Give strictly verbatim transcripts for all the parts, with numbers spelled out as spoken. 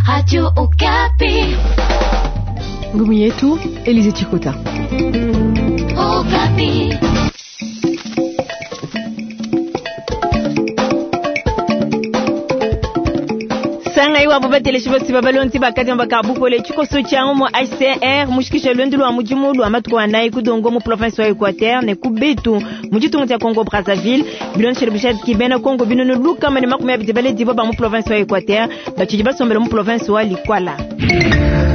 Radio Okapi. Ngumu yetu Elize Chikota. Okapi. Sanga iwabo bateleshi bosi babalonzi bakadi bakabupole tshikoso tshiango mu H C R mushikisha lwendu lwa mudimu lwa matuku anayi kudongo mu province wa Equateur ne kubetu mu ditunga dia Congo Brazzaville bilonshele bushadi kibena Congo binunu lukama ne makumi abidi baledi ba mu province wa Equateur batshidi basombela mu province wa Likwala.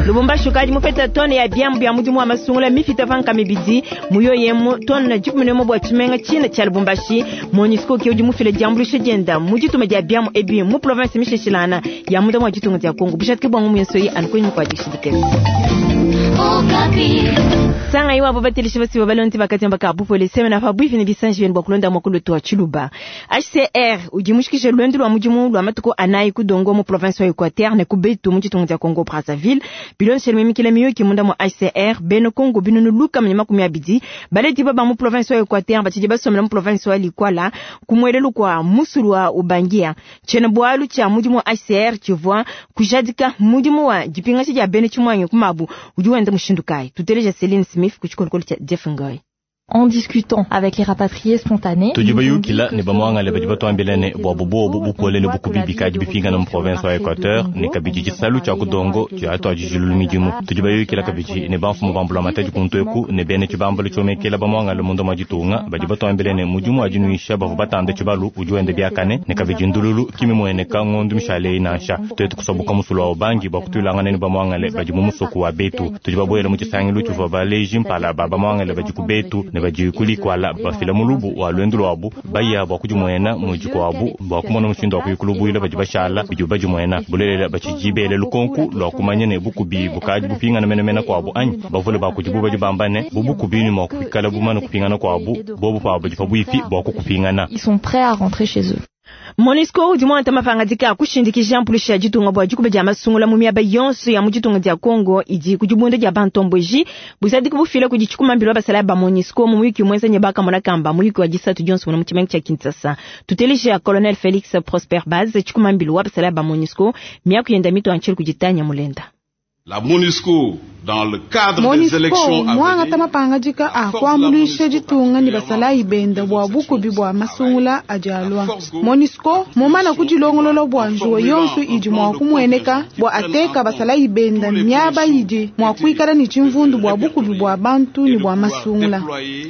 Lubumbashi kadi mupeta tone ya biambu bya mudimu wa masungula mifita vanka mibidi muyo yemu tone na dikumi ne bwa tshimenga tshina tsha Lubumbashi MONUSCO ke udi mufile diambulisha dienda mu dituma dia biambu ebi mu province misheshilana ya muda mwa ditunga dia Congo bushati ke bwangu muyenso yi anukonyi kwa dishidikese. Sanga iwabo bateleshi basi babalonzi bakati mbaka bupole semena fa bwifi ne bisanji bwa kulonda mokolo to Tshiluba. H C R udi mushikishe lwendu lwa mudimu lwa matuku anayi kudongo mu province wa Equateur ne kubetu mu ditunga dia Congo Brazzaville bilonshele mimikila miyuki munda mu H C R beno Congo binunu luka mnyama makumi abidi baledi baba mu province wa Equateur batshidi basomela mu province wa Likwala kumwelelu kwa musulu wa Ubangia chene bwalu cha mudimu wa H C R chivwa kujadika mudimu wa dipingashi dia bene chimwanyo kumabu udi wenda mushindu kai tuteleja Celine Smith kuchikolokolo cha Jeff Ngoy. En discutant avec les rapatriés spontanés, tudi bayukila ne bamwangale badi batwambila ne bwabo bobo bupole ne bukubi bikadi bipingana mu province wa Equateur ne kabidi tshisalu tshia kudongo tshia twajijulu midimu. Tudi bayukila kabidi ne bamfumu ba mbula matadi kuntweku ne bene tshibambalo tshiomekela bamwangale munda mwa ditunga badi batwambila ne mudimu wa dinuisha bavua batanda tshibalu udi wenda biakane ne kabidi ndululu kimimweneka ngondu mishale inansha twetu kusoboka musulu wa Ubangi bwa kutulangana ne bamwangale badi mu musoku wa betu. Tudi babwela mu tshisangilu tshivua baleji mpala ba bamwangale badi ku betu ne badi kulikwala bafila mulubu wa lwendu lwabu baya bwa kudimwena muji kwabu bwa kumona mushindu wa kuyikulubwila badi bashala bidi badimwena bulelela batshijibele lukonku lwa kumanya ne bukubi bukadi bupingana menemene kwabu anyi bavule bakudibu badi bamba ne bubukubi ni mwa kuikala bumana kupingana kwabu bobu pabu badi pabuipi bwa kukupingana. Ils sont prêts à rentrer chez eux. MONUSCO udi mwanta mapangadika kushindikija mpulisha ditunga bwa dikuba dia masungula mu miaba yonso ya mu ditunga dia Congo idi ku dibunda dia bantomboji buzadi kubufila kudi tshikumambilo basala ba MONUSCO mu muyuki mwenza nye bakamona kamba muyuki wa disatu dionso mu tshimenga tsha Kinshasa. Tuteleja Colonel Felix Prosper Baz tshikumambilo wa basala ba MONUSCO miaku yenda mito anchel kujitanya mulenda. La MONUSCO dans le cadre MONUSCO, des élections à mwangata venir, mapangadika a kuambuluisha ditunga ne basalayi benda bua bukubi bua masungula adialwa. MONUSCO mumana kudilongolola bua njuwa yonso idi mua kumweneka bua ateka basalayi benda miaba idi mua kuikala ne tshimvundu bua bukubi bua bantu ne bua masungula.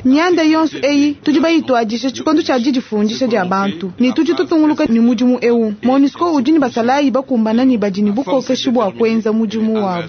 Mianda yonso eyi tudi bayituadisha tshikondo tshia didifundisha dia bantu ne tudi tutunguluka ne mudimu ewu. MONUSCO udi ne basalayi bakumbana ne badi ne bukokeshi bua kuenza mudimu wabu.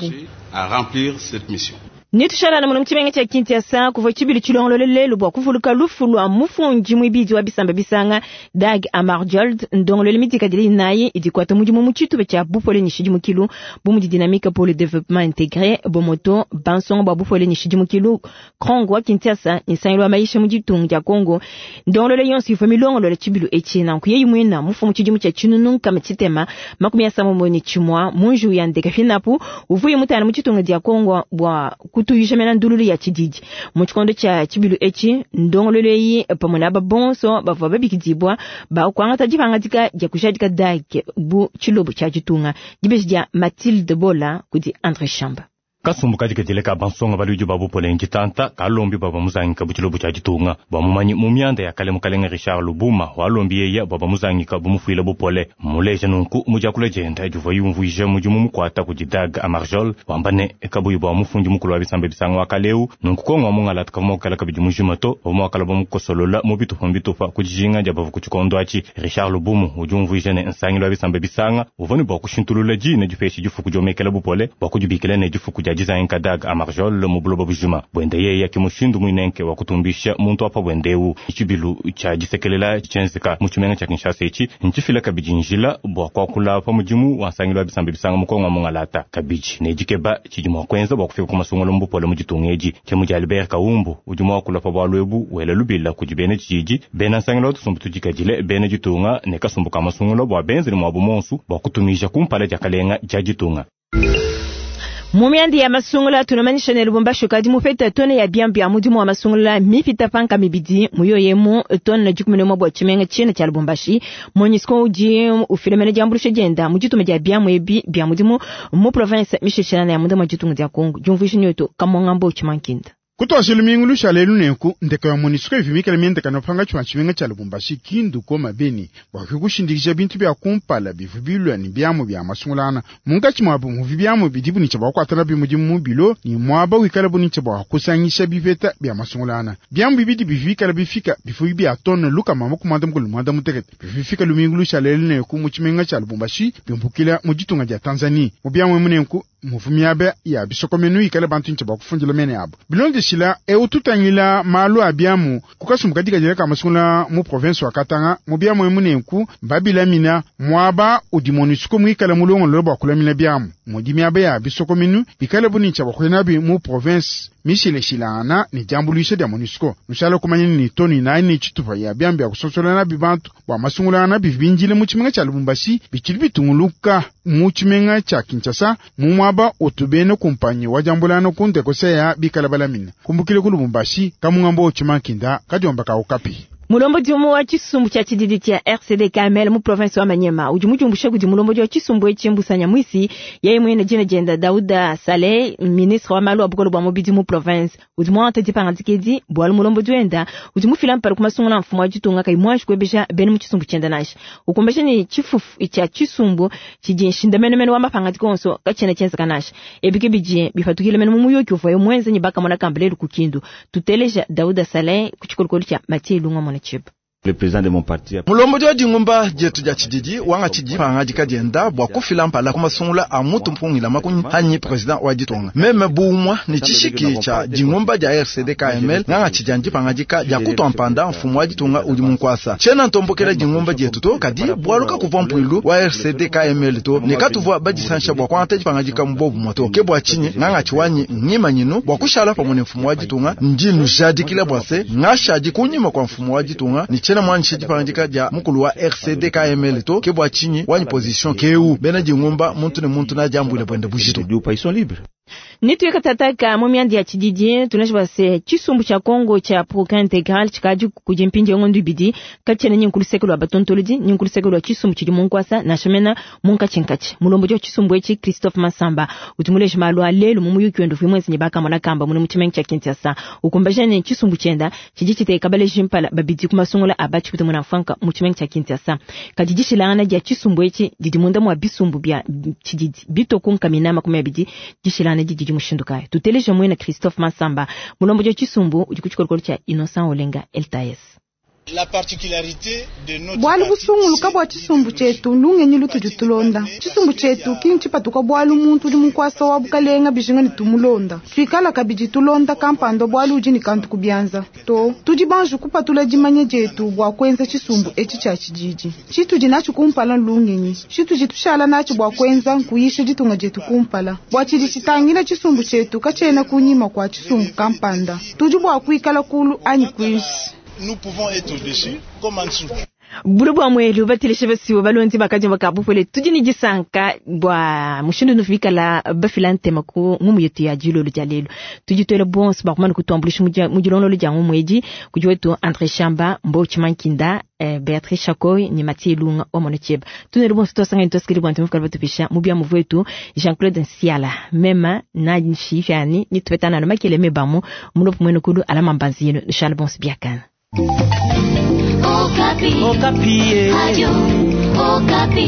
à remplir cette mission. Nitushalana muno mutshimenga tsha Kinshasa kuvua tshibili tshilongolole lelu bua kuvuluka lufu lua mufundi muibidi wa bisamba bisanga Dag Hammarskjöld ndongolole mitikadile inayi idi kuata mudimu mu tshitupa tshia bupole ne shidimukilu bu mudi dynamique pour le développement intégré bomoto bansonga bua bupole ne shidimukilu Krongo wa Kinshasa nsangilu wa maisha mu ditunga dia Congo ndongolole yonso ivua milongolole tshibilu etshi nanku yeyi muina mufumu tshidimu tshia tshinunu nkama tshitema makumi asambombo ne tshimua mu nju ya ndeka finapu uvuye mutana mu ditunga dia Congo bua kutuyisha mena ndululu ya tshididi mu tshikondo tshia tshibilu etshi ndongololo eyi pamwe na babonso bavua babikidibwa bakuangata dipangadika dia kujadika Dag bu tshilobo tshia ditunga dibeji dia Mathilde Bola kudi André Chamba. Kasumbu kadikadile ka bansonga baludi ba bupole ntshitanta kalombi bua bamuzangika bu tshilobo tshia ditunga bua mumanyi mu mianda ya kale mukalenga Richard Lubuma walombi yeya bua bamuzangika bumufuila bupole muleja nunku mu diakula dienda divua yumvuija mudimu mukuata kudi Dag Hammarskjöld wamba ne kabuyi bua mufundi mukulu wa bisamba bisanga wa kaleu nunku kongo wa mungalata kavua muakala kabidi mujima to bavua muakala bamukosolola mu bitupa mbitupa ku dijinga dia bavua ku tshikondo atshi. Richard Lubumu udi umvuija ne nsangilu wa bisamba bisanga uvua ne bua kushintulula dina dipesha difuku diomekela bupole bua kudibikila ne difuku dia dizangika Dag Hammarskjöld mu buloba bujima bwende yeye kimushindu muinenke wa kutumbisha muntu apa bwendewu. Tshibilu tshia disekelela tshienzeka mu tshimenga tshia Kinshasa etshi ntshifila kabidi njila bua kuakula pa mudimu wa nsangilu wa bisamba bisanga mukongo wa mungalata kabidi ne dikeba tshidi mua kuenza bua kufika ku masungula mu bupole mu ditunga edi. Tshemu dia Albert Kaumbu udi mua kula pa bualu ebu wela lubila kudi bena tshididi bena nsangilu wa tusumbu tudikadile bena ditunga ne kasumbu ka masungula bua benzele muabu monsu bua kutumisha kumpala dia kalenga dia ditunga. Mu ya masungula tunamanyisha ne Lubumbashi kadi mupeta tone ya biambi ya mudimu wa masungula mipita panka mibidi muyoyemu tone dikumi ne mwa tshimenga tshiena tshia Lubumbashi. MONUSCO udi ufilemene diambulusha dienda mu dituma dia biamu ebi bia mudimu mu province mishishana ya munda mwa ditunga dia Kongo. Diumvuisha nyoto kamongambo chimankinda. Kutwashila mingulu shalelu nenku ndeka ya MONUSCO ivimikela miendeka nopanga chwa tshimenga tshia Lubumbashi Kindu koma Beni bwa kushindikisha bintu bya kumpala bivubilwa ni biamu bya masungulana munkachi mwabu muvi biamu bidibu ni chabwa kwatala bimudimu mubilo ni mwaba wikala bu ni chabwa kusangisha biveta bya masungulana biamu bibidi bivikala bifika bifuyi bya tone luka mama kumanda mukulu mwanda mutekete bifika lumingulu shalelu nenku mu tshimenga tshia Lubumbashi bimbukila mu ditunga dia Tanzania mu biamu munenku muvumiabe ya bisokomenu ikala bantu nche bakufundila mene abo bilondeshila eututangila malu abiamu kukasumbuka dikajela kamasungula mu province wa Katanga mu biamu emunenku babilamina mwaba udi MONUSCO mwikala mulongolo bakulamina biamu mudimiabe ya bisokomenu bikala bunincha bakuyenabi mu province mishileshilana ni jambulisha dia MONUSCO nushala kumanya ni toni naini ni chitupa ya biambi ya kusosola na bibantu bwa masungulana bibinjile mu tshimenga tshia Lubumbashi bichili bitunguluka mu tshimenga tshia Kinshasa mu mwaba utubene kumpanyi wa jambulano kunde koseya bikala balamina kumbukile ku Lubumbashi kamungambo chimankinda kajomba ka Okapi. Mulombodi wa chisumbu cha chididi cha R C D K M L mu province wa Manyema udi mujumbusha kudi mulombodi wa chisumbu echi Mbusanya Mwisi yeye mwene jina jenda Dauda Saleh ministre wa malu abukolo bwa mubidi mu province udi mwanta dipangandikedi bwalu mulombodi wenda udi mufila mpala kumasungula mfumo wa ditunga kai mwanji kwebesha bene mu chisumbu chenda nasha ukombesha ni chifufu cha chisumbu chidi shindamenemene wa mapangandiko onso kachena chenza kanasha ebike bije bifatukile mene mu muyoki uvayo mwenze nyibaka mwana kambele kukindu tuteleja Dauda Saleh kuchikolokolo cha Mathieu Lunga mwana. Le président de mon parti mulombodi wa dingumba dietu dia tshididi wanga tshidi pangadika dienda bua kufila mpala kumasungula a mutu mpungila makunyi hanyi président wa ditunga meme buumwa ni tshishiki tshia dingumba dia R C D K M L nganga tshidi andi pangadika dia kutua mpanda mfumu wa ditunga udi munkwasa tshiena ntombokela dingumba dietu to kadi bwaluka kuvua mpuilu wa R C D K M L to ne katuvua badisansha bua kuangata dipangadika mubobu moto ke bua tshinyi nganga tshiwanyi ngimanyinu bua kushala pamue ne mfumu wa ditunga ndi nujadikila bua se ngashadi kunyima kwa mfumu wa ditunga ni tshiena mwanshi dipangandika dia mukulu wa R C D K M L to ke bua tshinyi wanyi position keu bena dingumba muntu ne muntu na diambwile bwende bujitu. Nituye tataka mu myandi ya tshididi tunashiba se chisumbu cha Kongo cha Progrès Intégral chikaji kujimpinje ngondu bidi kachene nyinkulusekelo abatontolodi nyinkulusekelo chisumbu chidi munkwasa na shemena munkachinkachi mulombo jo chisumbu echi Christophe Masamba utumuleje malu alelu mu muyuki wendo vimwenzi nyibaka mwana kamba mune muchimenga cha Kinshasa ukumbaje chisumbu chenda chiji chiteka bale jimpala babidi kumasungula abachi kutemuna mfanka muchimenga cha Kinshasa kajijishilana ja chisumbu echi didi munda mwa bisumbu bya chididi bitokunka minama kumya bidi jishilana didi mushinduka tuteleje mwena Christophe Masamba mulombo jo chisumbu udi kuchikolokolo cha Innocent Olenga L T S. La particularité de notre bwalu busunguluka bwa chisumbu chetu lungenyi lutudi tulonda chisumbu chetu kinchipatuka bwalu muntu udi munkwasa wa bukalenga bijinga ni tumulonda twikala kabidi tulonda kampando bwalu udi ni kantu kubyanza to tudi banju kupatula dimanya dietu bwa kwenza chisumbu echi cha chididi chitudi nacho kumpala lungenyi chitudi tushala nacho bwa kwenza nkuyisha ditunga dietu kumpala bwa chidi chitangila chisumbu chetu kachena kunyima kwa chisumbu kampanda tudi bwa kuikala kulu anyi kuishi. Nous pouvons être au-dessus comme en dessous. Bulu bwa mwelu batilishe basiwo balonzi bakaji bakabupole tudi ni disanka bwa mushindu nufikala bafila ntema ku ngumu yetu ya jilolo dia lelo tudi twele bonso bakumana kutuambulisha mujilonolo dia ngumu edi kudi wetu André Shamba Mbochi Mankinda eh, Beatrice Chakoy ni Mathieu Lunga wa Monocheba tunele bonso tosanga ntoskili bwa ntema batupisha mubya muvwetu Jean-Claude Nsiala mema na nshifyani ni tupetana na makele mebamu mulopo mwene kulu alama mbanzi yenu Charles bonso biakana. Okapi. Okapi. Radio Okapi.